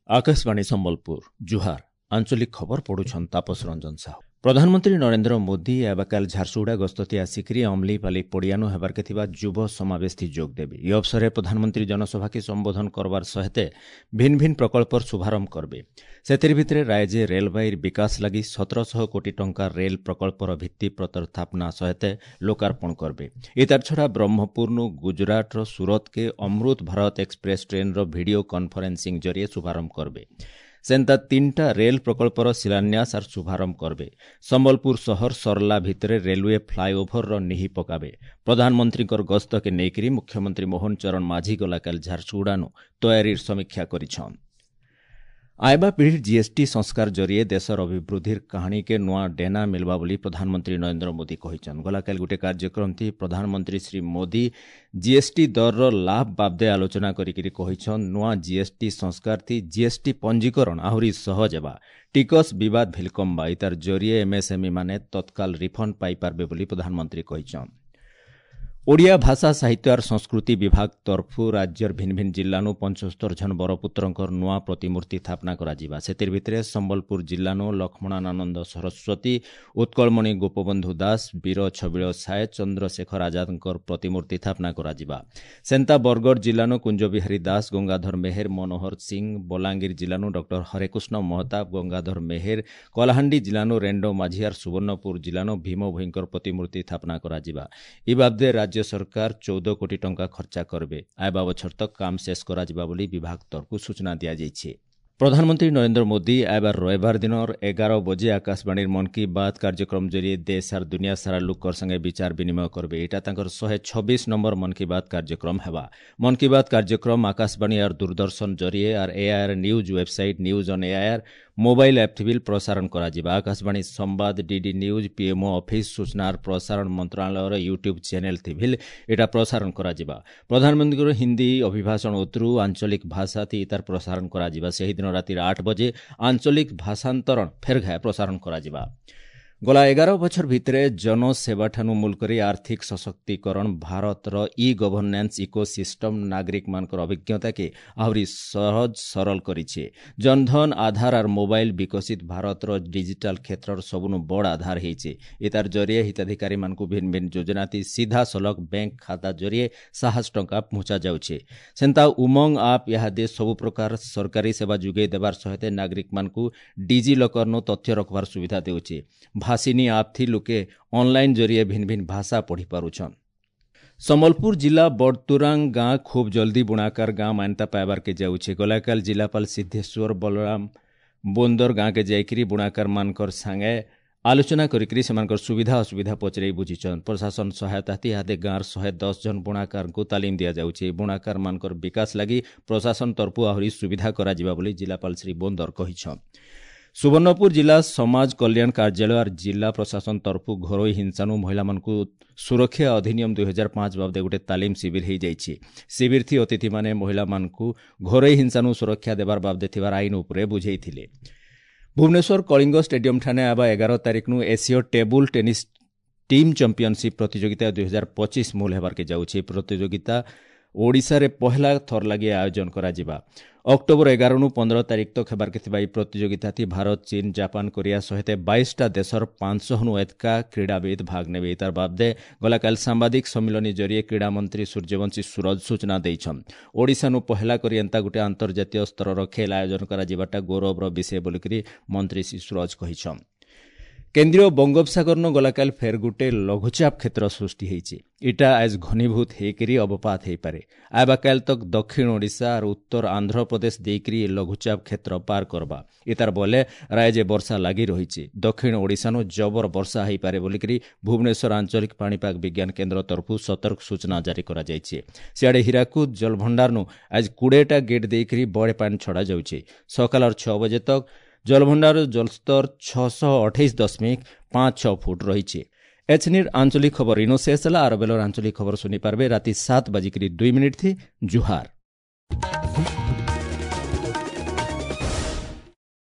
ଆକାଶବାଣୀ ସମ୍ବଲପୁର, ଜୁହାର। ଆଞ୍ଚଳିକ ଖବର ପଢୁଛନ୍ ତାପସ ରଞ୍ଜନ ସାହୁ। ପ୍ରଧାନମନ୍ତ୍ରୀ ନରେନ୍ଦ୍ର ମୋଦି ଆବାକାଲ ଝାରସୁଗୁଡ଼ା ଗସ୍ତତି ଆସିକରି ଅମଲିପାଲି ପଡ଼ିଆନୁ ହେବାର୍କେ ଥିବା ଯୁବ ସମାବେଶଥି ଯୋଗ ଦେବେ। ଇ ଅବସରରେ ପ୍ରଧାନମନ୍ତ୍ରୀ ଜନସଭାକେ ସମ୍ବୋଧନ କରବାର ସହିତ ଭିନ୍ ଭିନ୍ ପ୍ରକଳ୍ପର ଶୁଭାରମ୍ଭ କରବେ। ସେଥିର୍ ଭିତରେ ରାଜ୍ୟ ରେଲବାଇର ବିକାଶ ଲାଗି 1700 କୋଟି ଟଙ୍କା ରେଲ ପ୍ରକଳ୍ପର ଭିତ୍ତିପ୍ରସ୍ତର ସ୍ଥାପନା ସହିତ ଲୋକାର୍ପଣ କରବେ। ଏତାର ଛଡ଼ା ବ୍ରହ୍ମପୁରନୁ ଗୁଜରାଟର ସୁରତକେ ଅମୃତ ଭାରତ ଏକ୍ସପ୍ରେସ୍ ଟ୍ରେନ୍ର ଭିଡ଼ିଓ କନଫରେନ୍ସିଂ ଜରିଏ ଶୁଭାରମ୍ଭ କରବେ। ସେନ୍ତା 3ଟା ରେଲ ପ୍ରକଳ୍ପର ଶିଳାନ୍ୟାସ ଆର୍ ଶୁଭାରମ୍ଭ କରବେ। ସମ୍ବଲପୁର ସହର ସରଲା ଭିତରେ ରେଲୱେ ଫ୍ଲାଏଓଭରର ନିହି ପକାବେ। ପ୍ରଧାନମନ୍ତ୍ରୀଙ୍କର ଗସ୍ତକେ ନେଇକରି ମୁଖ୍ୟମନ୍ତ୍ରୀ ମୋହନ ଚରଣ ମାଝୀ ଗଲାକାଲି ଝାରସୁଗୁଡ଼ାନୁ ତୟାରୀର ସମୀକ୍ଷା କରିଛନ୍। ଆଇବା ପିଢ଼ିର ଜିଏସ୍ଟି ସଂସ୍କାର ଜରିଏ ଦେଶର ଅଭିବୃଦ୍ଧିର କାହାଣୀକେ ନୂଆ ଡେନା ମିଲ୍ବା ବୋଲି ପ୍ରଧାନମନ୍ତ୍ରୀ ନରେନ୍ଦ୍ର ମୋଦି କହିଛନ୍। ଗଲାକାଲି ଗୋଟେ କାର୍ଯ୍ୟକ୍ରମ ଥି ପ୍ରଧାନମନ୍ତ୍ରୀ ଶ୍ରୀ ମୋଦି ଜିଏସ୍ଟି ଦରର ଲାଭ ବାବଦେ ଆଲୋଚନା କରିକିରି କହିଛନ୍, ନୂଆ ଜିଏସ୍ଟି ସଂସ୍କାର ଥି ଜିଏସ୍ଟି ପଞ୍ଜୀକରଣ ଆହୁରି ସହଜ ହେବା, ଟିକସ ବିବାଦ ଭିଲ୍ କମ୍ବା, ଇତାର ଜରିଏ ଏମ୍ଏସ୍ଏମ୍ଇ ମାନେ ତତ୍କାଳ ରିଫଣ୍ଡ ପାଇପାରବେ ବୋଲି ପ୍ରଧାନମନ୍ତ୍ରୀ କହିଛନ୍। ଓଡ଼ିଆ ଭାଷା ସାହିତ୍ୟ ଆର୍ ସଂସ୍କୃତି ବିଭାଗ ତରଫୁ ରାଜ୍ୟର ଭିନ୍ ଭିନ୍ ଜିଲ୍ଲାନୁ 75 ଜଣ ବରପୁତ୍ରଙ୍କର ନୂଆ ପ୍ରତିମୂର୍ତ୍ତି ସ୍ଥାପନା କରାଯିବା। ସେଥିର୍ ଭିତରେ ସମ୍ବଲପୁର ଜିଲ୍ଲାନୁ ଲକ୍ଷ୍ମଣାନନ୍ଦ ସରସ୍ୱତୀ, ଉତ୍କଳମଣି ଗୋପବନ୍ଧୁ ଦାସ, ବୀର ଛବିଳ ସାଏ, ଚନ୍ଦ୍ରଶେଖର ଆଜାଦଙ୍କର ପ୍ରତିମୂର୍ତ୍ତି ସ୍ଥାପନା କରାଯିବା। ସେନ୍ତା ବରଗଡ଼ ଜିଲ୍ଲାନୁ କୁଞ୍ଜବିହାରୀ ଦାସ, ଗଙ୍ଗାଧର ମେହେର, ମନୋହର ସିଂ, ବଲାଙ୍ଗୀର ଜିଲ୍ଲାନୁ ଡକ୍ଟର ହରେକୃଷ୍ଣ ମହତାବ, ଗଙ୍ଗାଧର ମେହେର, କଳାହାଣ୍ଡି ଜିଲ୍ଲାନୁ ରେଣ୍ଡୋ ମାଝି ଆର୍ ସୁବର୍ଣ୍ଣପୁର ଜିଲ୍ଲାନୁ ଭୀମ ଭୋଇଙ୍କର ପ୍ରତିମୂର୍ତ୍ତି ସ୍ଥାପନା କରାଯିବା। ଇ ବାବଦେ ରାଜ୍ୟ ସରକାର 14 କୋଟି ଟଙ୍କା ଖର୍ଚ୍ଚା କରବେ। ଆଇବା ବଛର ତକ କାମ ଶେଷ କରାଯିବା ବୋଲି ବିଭାଗ ତରଫରୁ ସୂଚନା ଦିଆଯାଇଛି। ପ୍ରଧାନମନ୍ତ୍ରୀ ନରେନ୍ଦ୍ର ମୋଦି ଆଇବାର ରବିବାର ଦିନର 11 ବଜେ ଆକାଶବାଣୀର ମନ୍ କି ବାତ୍ କାର୍ଯ୍ୟକ୍ରମ ଜରିଏ ଦେଶ ଆର୍ ଦୁନିଆ ସାରା ଲୋକର ସାଙ୍ଗେ ବିଚାର ବିନିମୟ କରବେ। ଏଇଟା ତାଙ୍କର 126 ନମ୍ବର ମନ୍ କି ବାତ୍ କାର୍ଯ୍ୟକ୍ରମ ହେବା। ମନ୍ କି ବାତ୍ କାର୍ଯ୍ୟକ୍ରମ ଆକାଶବାଣୀ ଆର୍ ଦୂରଦର୍ଶନ ଜରିଏ ଆର୍ AIR news website, news on AIR mobile app ଥି ପ୍ରସାରଣ କରାଯିବା। ଆକାଶବାଣୀ ସମ୍ବାଦ, ଡିଡି ନ୍ୟୁଜ୍, ପିଏମ୍ଓ ଅଫିସ୍, ସୂଚନା ଆର୍ ପ୍ରସାରଣ ମନ୍ତ୍ରଣାଳୟର ୟୁଟ୍ୟୁବ୍ ଚ୍ୟାନେଲ୍ ଥି ଏଇଟା ପ୍ରସାରଣ କରାଯିବା। ପ୍ରଧାନମନ୍ତ୍ରୀଙ୍କର ହିନ୍ଦୀ ଅଭିଭାଷଣ ଉତ୍ତରୁ ଆଞ୍ଚଳିକ ଭାଷା ଥି ତାର ପ୍ରସାରଣ କରାଯିବା। ସେହିଦିନ ରାତି 8 ବଜେ ଆଞ୍ଚଳିକ ଭାଷାନ୍ତରଣ ଫେର୍ ଘାଏ ପ୍ରସାରଣ କରାଯିବା। ଗଲା 11 ବଛର ଭିତରେ ଜନସେବାଠାନୁ ମୂଲ କରି ଆର୍ଥିକ ସଶକ୍ତିକରଣ ଭାରତର ଇ ଗଭର୍ଣ୍ଣାନ୍ସ ଇକୋ ସିଷ୍ଟମ ନାଗରିକମାନଙ୍କର ଅଭିଜ୍ଞତାକେ ଆହୁରି ସହଜ ସରଳ କରିছে। ଜନଧନ, ଆଧାର ଆର୍ ମୋବାଇଲ ବିକଶିତ ଭାରତର ଡିଜିଟାଲ କ୍ଷେତ୍ରର ସବୁନୁ ବଡ଼ ଆଧାର ହେଇছে। ଏତାର ଜରିଏ ହିତାଧିକାରୀମାନଙ୍କୁ ଭିନ୍ ଭିନ୍ ଯୋଜନାତି ସିଧାସଳଖ ବ୍ୟାଙ୍କ ଖାତା ଜରିଏ ସାହସ ଟଙ୍କା ପହଞ୍ଚା ଯାଉଛେ। ସେନ୍ତା ଉମଙ୍ଗ ଆପ୍ ଇହାଦେ ସବୁ ପ୍ରକାର ସରକାରୀ ସେବା ଯୋଗାଇ ଦେବାର ସହିତ ନାଗରିକମାନଙ୍କୁ ଡିଜି ଲକର୍ନୁ ତଥ୍ୟ ରଖବାର ସୁବିଧା ଦେଉଛେ। ଭାଷିନୀ ଆପ୍ ଥି ଲୋକେ ଅନଲାଇନ୍ ଜରିଏ ଭିନ୍ ଭିନ୍ ଭାଷା ପଢ଼ି ପାରୁଛନ୍। ସମ୍ବଲପୁର ଜିଲ୍ଲା ବଡ଼ତୁରାଙ୍ଗ ଗାଁ ଖୁବ୍ ଜଲ୍ଦି ବୁଣାକାର ଗାଁ ମାନ୍ୟତା ପାଇବାର୍କେ ଯାଉଛେ। ଗଲାକାଲ ଜିଲ୍ଲାପାଳ ସିଦ୍ଧେଶ୍ୱର ବଲରାମ ବୋନ୍ଦର ଗାଁକେ ଯାଇକରି ବୁଣାକାରମାନଙ୍କର ସାଙ୍ଗେ ଆଲୋଚନା କରିକରି ସେମାନଙ୍କର ସୁବିଧା ଅସୁବିଧା ପଚରାଇ ବୁଝିଛନ୍। ପ୍ରଶାସନ ସହାୟତା ଇହାଦେ ଗାଁର 110 ଜଣ ବୁଣାକାରଙ୍କୁ ତାଲିମ ଦିଆଯାଉଛି। ବୁଣାକାରମାନଙ୍କର ବିକାଶ ଲାଗି ପ୍ରଶାସନ ତରଫରୁ ଆହୁରି ସୁବିଧା କରାଯିବା ବୋଲି ଜିଲ୍ଲାପାଳ ଶ୍ରୀ ବୋନ୍ଦର କହିଛନ୍। ସୁବର୍ଣ୍ଣପୁର ଜିଲ୍ଲା ସମାଜ କଲ୍ୟାଣ କାର୍ଯ୍ୟାଳୟ ଆର୍ ଜିଲ୍ଲା ପ୍ରଶାସନ ତରଫରୁ ଘରୋଇ ହିଂସାନୁ ମହିଳାମାନଙ୍କୁ ସୁରକ୍ଷା ଅଧିନିୟମ 2005 ବାବଦେ ଗୋଟେ ତାଲିମ ଶିବିର ହେଇଯାଇଛି। ଶିବିର ଥି ଅତିଥିମାନେ ମହିଳାମାନଙ୍କୁ ଘରୋଇ ହିଂସାନୁ ସୁରକ୍ଷା ଦେବାର ବାବଦେ ଥିବାର ଆଇନ ଉପରେ ବୁଝେଇଥିଲେ। ଭୁବନେଶ୍ୱର କଳିଙ୍ଗ ଷ୍ଟାଡିୟମ ଠାନେ ଆବା 11 ତାରିଖନୁ ଏସୀୟ ଟେବୁଲ ଟେନିସ୍ ଟିମ୍ ଚାମ୍ପିୟନସିପ୍ ପ୍ରତିଯୋଗିତା 2025 ମୂଲ ହେବାର୍କେ ଯାଉଛି। ପ୍ରତିଯୋଗିତା ଓଡ଼ିଶାରେ ପହଲା ଥର ଲାଗି ଆୟୋଜନ କରାଯିବା। ଅକ୍ଟୋବର 11ନୁ 15 ତାରିଖ ତକ ହେବାର୍କେ ଥିବା ଏହି ପ୍ରତିଯୋଗିତାଥି ଭାରତ, ଚୀନ, ଜାପାନ, କୋରିଆ ସହିତ 22ଟା ଦେଶର 500ନୁ ଏତକା କ୍ରୀଡ଼ାବିଦ ଭାଗ ନେବେ। ତାର ବାବଦେ ଗଲାକାଲି ସାମ୍ବାଦିକ ସମ୍ମିଳନୀ ଜରିଏ କ୍ରୀଡ଼ାମନ୍ତ୍ରୀ ସୂର୍ଯ୍ୟବଂଶୀ ସୁରଜ ସୂଚନା ଦେଇଛନ୍। ଓଡ଼ିଶାନୁ ପହଲା କରି ଏନ୍ତା ଗୋଟେ ଆନ୍ତର୍ଜାତୀୟ ସ୍ତରର ଖେଲ ଆୟୋଜନ କରାଯିବାଟା ଗୌରବର ବିଷୟ ବୋଲିକରି ମନ୍ତ୍ରୀ ଶ୍ରୀ ସୁରଜ କହିଛନ୍। କେନ୍ଦ୍ରୀୟ ବଙ୍ଗୋପସାଗରନୁ ଗଲାକାଲି ଫେର୍ ଗୋଟେ ଲଘୁଚାପ କ୍ଷେତ୍ର ସୃଷ୍ଟି ହେଇଛି। ଇଟା ଆଜ୍ ଘନୀଭୂତ ହେଇକରି ଅବପାତ ହେଇପାରେ। ଆଇବା କାଲ ତକ୍ ଦକ୍ଷିଣ ଓଡ଼ିଶା ଆର୍ ଉତ୍ତର ଆନ୍ଧ୍ରପ୍ରଦେଶ ଦେଇକରି ଏ ଲଘୁଚାପ କ୍ଷେତ୍ର ପାର କରବା। ଏତାର ବଲେ ରାଜ୍ୟ ବର୍ଷା ଲାଗି ରହିଛି। ଦକ୍ଷିଣ ଓଡ଼ିଶାନୁ ଜବର ବର୍ଷା ହେଇପାରେ ବୋଲିକରି ଭୁବନେଶ୍ୱର ଆଞ୍ଚଳିକ ପାଣିପାଗ ବିଜ୍ଞାନ କେନ୍ଦ୍ର ତରଫରୁ ସତର୍କ ସୂଚନା ଜାରି କରାଯାଇଛି। ସିଆଡ଼େ ହୀରାକୁଦ ଜଳଭଣ୍ଡାରନୁ ଆଜ 20ଟା ଗେଟ୍ ଦେଇକରି ବଡ଼େ ପାଣି ଛଡ଼ା ଯାଉଛି। ସକାଳର 6 ବଜେ ତକ୍ ଜଳଭଣ୍ଡାର ଜଳସ୍ତର 628.56 ଫୁଟ ରହିଛି। ଏଛନିର ଆଞ୍ଚଳିକ ଖବର ଇନୋ ଶେଷ ହେଲା। ଆର ବେଲର ଆଞ୍ଚଳିକ ଖବର ଶୁଣିପାରିବେ ରାତି 7:02 ଥି। ଜୁହାର।